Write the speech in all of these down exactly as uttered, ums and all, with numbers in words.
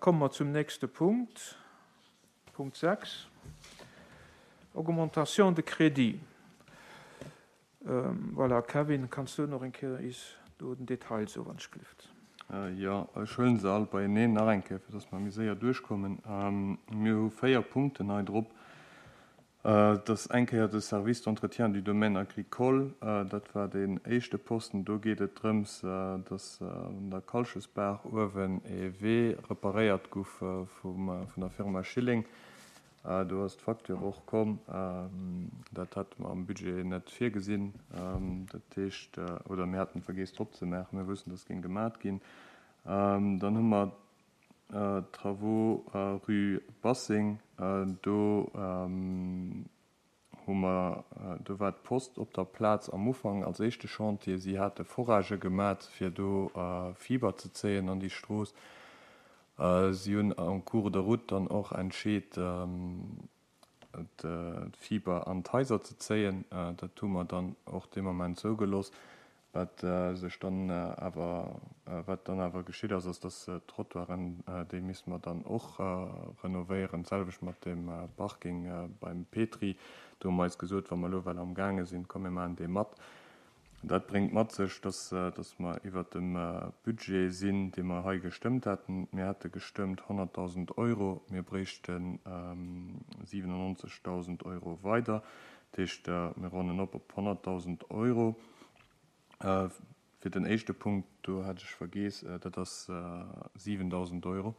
komme mer zum nächste Punkt, Punkt sechs, Augmentation de crédit. Ähm, voilà, Kevin, kanns du nach eng Kéier is do den Detail soen, wann ech gelift? Äh, jo, ech huelen se all beieneen nach eng Kéier, fir dass mer méi séier duerchkommen. Ähm, mir hu véier Punkten hei drop. Äh, dat ass eng Kéier de Service d'entretien du domaine agricole, äh, dat war deen éischte Posten. Do geet et drëms, äh, dass äh, un der Kalchesbaach uewen e Wee reparéiert gouf äh, vum, äh, vun der Firma Schilling. Äh, do ass d'Facture och komm. Ähm, dat hate mer am Budget net virgesinn. Ähm, dat heescht, äh, oder mir haten vergiess drop ze maachen, mir wussten, dass géing gemat ginn. Ähm, dann hu mer äh, Travaux äh, Rue Bassing, äh, do ähm, hu mer, äh, do war d'Post op der Plaz am Ufank als éischte Chantier. Si hate Foragë gemat, fir do äh, Fiber ze zéien an déi Strooss. Äh, si hunn en cours de route dann och entscheet, ähm, d'Fiber an d'Haiser ze zéien. Äh, dat hu mer dann och dee Moment zougelooss. Wat äh, sech dann äh, awer äh, wat dann awer geschitt ass, ass, dass äh, d'Trottoiren, äh, déi misste mer dann och äh, renovéieren, d'selwecht mat dem äh, Parking äh, beim Petri. Do hu mer eis gesot, wa mer elo well am gaange sinn, komm mir maachen dee mat. Dat bréngt mat sech, dass, äh, dass mer iwwer dem äh, Budget sinn, dee mer hei gestëmmt haten. Mir hate gestëmmt honnertdausend Euro, mir bréichten ähm, siwenannonzegdausend Euro weider. Dat heescht, äh, mir ronnen op op honnertdausend Euro. Äh, fir den éischte Punkt, do hat ech vergiess, äh, dat ass äh, siwendausend Euro.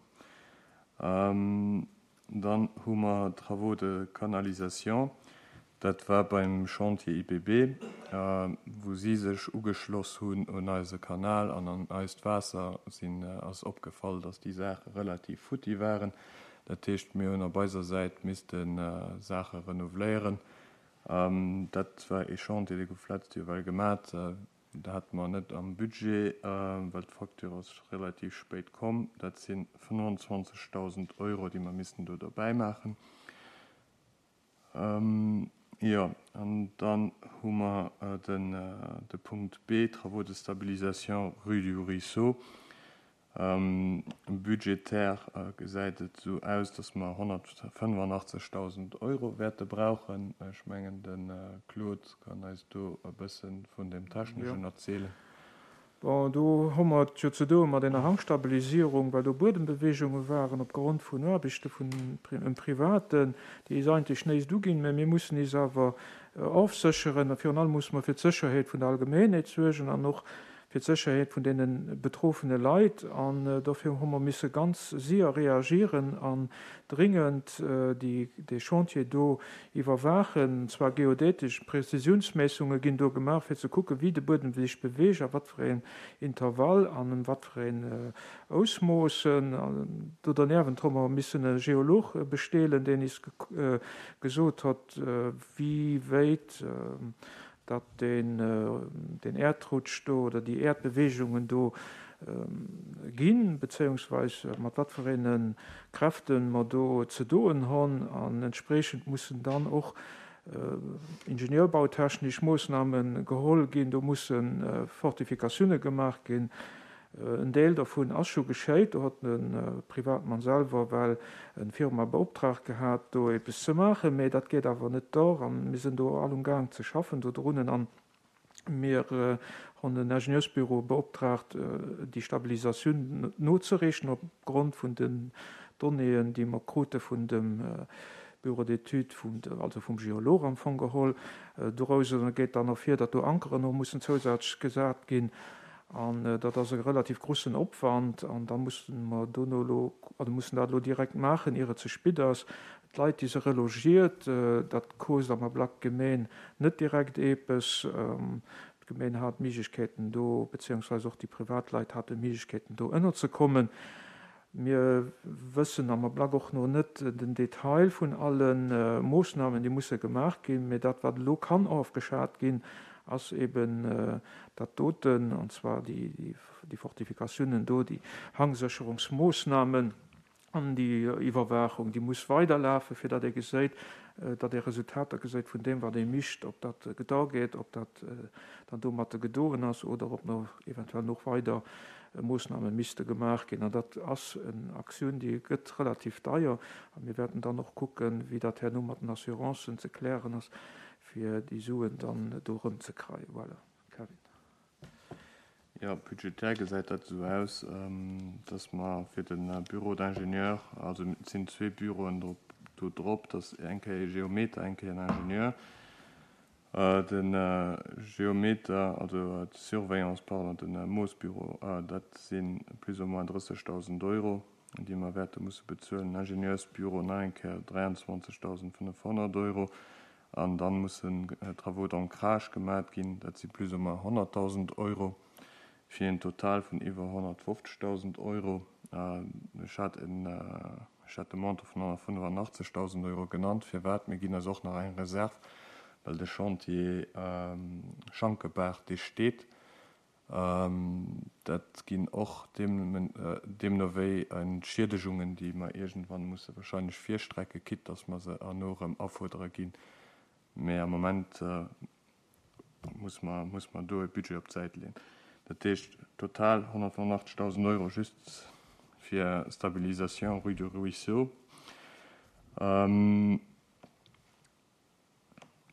Ähm, dann hu mer Travaux de canalisation. Dat war beim Chantier I P B, äh, wou si sech ugeschloss hunn un eise Kanal an an eist Waasser, sinn äh, ass opgefall, dass déi Saache relativ futti waren. Dat heescht, mir hunn op eiser Säit missten äh, Saache renouveléieren. Ähm, dat war e Chantier, dee gouf d'lescht Joer well gemat. Äh, dat hate mer net am Budget, äh, well d'Facture ass relativ spéit komm. Dat si fënnefenzwanzegdausend Euro, déi mer missten do dobäi maachen. Ähm, jo, an dann hu mer äh, den, äh, de Punkt B, Travaux de stabilisation rue du Ruisseau. Ähm, budgetär äh, gesäit et sou aus, dass mer honnertfënnefenachtzegdausend Euro wäerte brauchen. Ech mengen, de äh, Claude kann eis do e bësse vun dem Techneschen Ja. erzielen. Bon, do hu mer et jo ze doe mat enger Hangstabilisierung, well do Buedembeweegunge waren opgrond vun Aarbechte vun Pri- Privaten, déi is eigentlech näischt uginn, mä mir mussen is awer äh, ofsécheren. A virun allem musse mer fir d'Sécherheet vun der Allgemengheet suergen an och fir d'Sécherheet vun deene betroffene Leit. An äh, dofir hu mer misse ganz séier reagieren an dringend äh, déi, de Chantier do iwwerwaachen. Zwar geodätesch Präzisiounsmeessunge ginn do gemaach, fir ze kucken, wéi de Buedem sech beweegt, a wat fir een Intervall an an wat fir een äh, Ausmoossen. An do derniewent hu mer missen e Geolog äh, bestellen, deen is ge äh, gesot huet, äh, wéi wäit äh, dat den, äh, den Äerdrutsch do oder déi Äerdbeweegungen do ähm, ginn, beziehungsweise mat wat fir enge Kräften mer do ze doen hunn, an entspriechend mussen dann och äh, ingenieurbautechnesch Moossname geholl ginn, do mussen äh, Fortifikatioune gemaach ginn. Äh, en Deel dovun ass scho geschéit, do huet e äh, Privatmann selwer well eng Firma beoptraagt gehat, do eppes ze maachen, mä dat geet awer net duer an mir sinn do all amgaang ze schaffen do drun an mir äh, hunn en Ingenieursbüro beoptraagt, äh, déi Stabilisatioun nozerechnen opgrond vun den Donnéeën, déi mer krute vun dem äh, Bureau d'études, vum, also vum Geolog am Fong geholl. Äh, doraus geet dann ervir, datt do Ankeren nach mussen zousätzlech gesat ginn. An äh, dat ass e relativ groussen Opwand an da musse mer do lo, also mussen dat lo direkt maachen, ier et ze spéit ass. D'Leit, déi se relogiert, äh, dat kost am Ablack d'Gemeng net direkt eppes. Ähm, d'Gemeng hat Méiglechkeeten do, beziehungsweise och déi Privatleit hate Méiglechkeeten do ënnerzekommen. Mir wëssen am Ablack och nach net den Detail vun allen äh, Moossnamen, déi musse gemaach ginn, mä dat wat lo kann ofgeschat ginn, ass eben äh, dat doten, an zwar déi, déi, déi Fortifikatiounen do, déi Hangsécherungsmoossnamen an déi Iwwerwaachung, déi muss weiderlafen, fir datt ee gesäit, äh, datt ee Resultater gesäit vun deem, wat ee mécht, ob dat gedo geet, ob dat äh, dann domat gedoen ass oder ob nach eventuell nach weider Moossname misste gemaach ginn. An dat ass en Aktioun, déi gëtt relativ deier. A mir wäerten dann och kucken, wéi dat herno mat den Assurancen ze klären ass, fir déi Suen dann do erëmzekreien. Voilà. Kevin. Jo, budgetär gesäit dat esou aus, dass mer fir de Bureau d'ingénieur, also et sinn zwee Büroen do drop, dass eng Kéier ee Geometer, eng Kéier en Ingenieur. De Geometer, also d'Surveillance, pardon, de Moossbüro, dat si plus ou moins drëssegdausend Euro, déi mer wäerte musse bezuelen. Den Ingenieursbüro nach eng Kéier dräianzwanzegdausendfënnefhonnert Euro. An da mussen Travaux d'ancrage gemat ginn, dat si plus ou moins honnertdausend Euro, fir een Total vun iwwer honnertfofzegdausend Euro. Ech hat en, ech hat de Montant vun honnertfënnefandachtzegdausend Euro genannt. Firwat? Mir ginn eis och nach eng Reserv, well de Chantier Schankebaach, dee steet. Dat ginn och deemno wéi Entschiedegungen, déi mer iergendwann musse wahrscheinlech virstrecke, quitte dass mer se herno erëm afuerdere ginn. Mä am Moment muss mer, muss mer do e Budget op d'Säit leeën. Dat heescht total honnertfënnefundachtzegdausend Euro just fir Stabilisation rue du Ruisseau.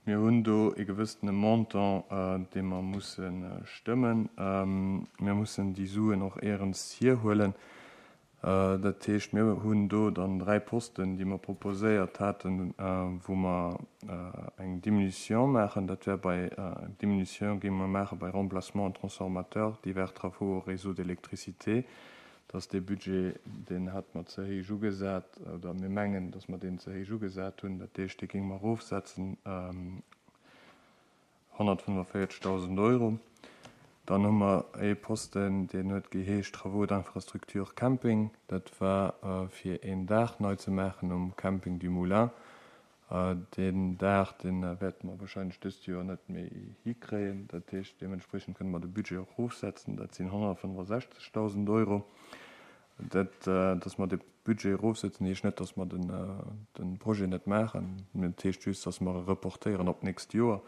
Mir hunn do e gewëssene Montant, dee mer musse stëmmen. Mir mussen déi Suen och éierens hierhuelen. Dat heescht, mir hunn do dann dräi Posten, déi mer proposéiert haten, wou mer eng Diminution maachen. Dat wär bei, Diminution géinge mer maache bei Remplacement transformateur, divers travaux au réseau d'électricité. Dat ass dee Budget, deen hate mer ze héich ugesat, oder mir mengen, datt mer deen ze héich ugesat hunn. Dat heescht, dee géinge mer erofsetzen, honnertfënnefenvéierzegdausend Euro. Dann hu mer ee Posten, deen huet geheescht Travaux d'infrastructure camping. Dat war fir een Daach nei ze maachen um Camping du Moulin. Deen Daach, dee wäerte mer wahrscheinlech dëst Joer net méi hikréien. Dat heescht, deementspriechend kënne mer de Budget och erofsetzen. Dat sinn honnertfënnefosechzegdausend Euro. Dat, dass mer de Budget erofsetzen, heescht net, dass mer de Projet net maachen. Dat heescht just, dass mer e reportéieren op d'nächst Joer.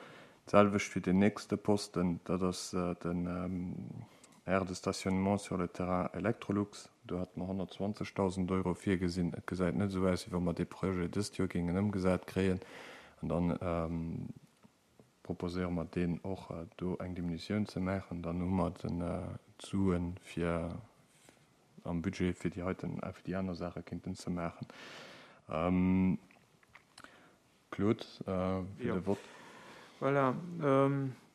D'selwecht fir deen nächste Posten, dat ass den Aire de stationnement sur le terrain Electrolux. Do hate mer honnertzwanzegdausend Euro virgesinn. Et gesäit net esou aus, wéi wa mer dee Projet dëst Joer géingen ëmgesat kréien. An da proposéiere mer deen och do eng Diminutioun ze maachen. Dann hu mer d'Sue fir am Budget, fir déi heiten, fir déi aner Saache kéinten ze maachen. Claude, fir de Vott. Voilà.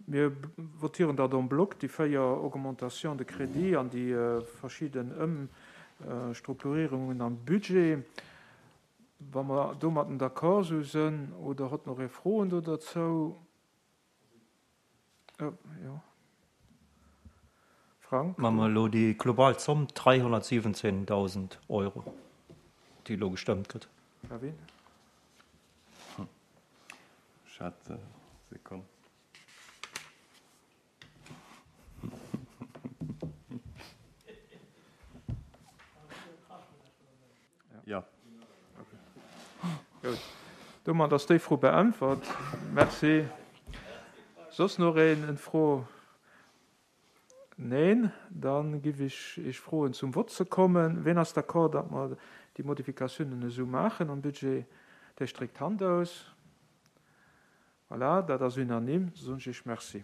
Mir votieren dat en bloc, déi véier Augmentations de crédit an déi verschidden Ëmstrukturierungen am Budget. Wa mer domatten d'accord sou sënn, oder hott nach ee Froen do derzou? Jo. Frank? Maache mer elo déi global Zomm, dräihonnertsiwwenzehntausend Euro, déi elo gestëmmt gëtt. Kevin? Ech hat, Sekonn. Jo. Gutt. Domat ass déi Fro beäntwert. Merci. Soss nach een eng Fro? Neen? Da giff ech Iech froen, zum Vott ze kommen. Ween ass d'accord, datt mer déi Modifikatiounen esou maachen am Budget? Dee stréckt d'Hand aus. Voilà, dat ass unanime. Da soen ech Iech Merci.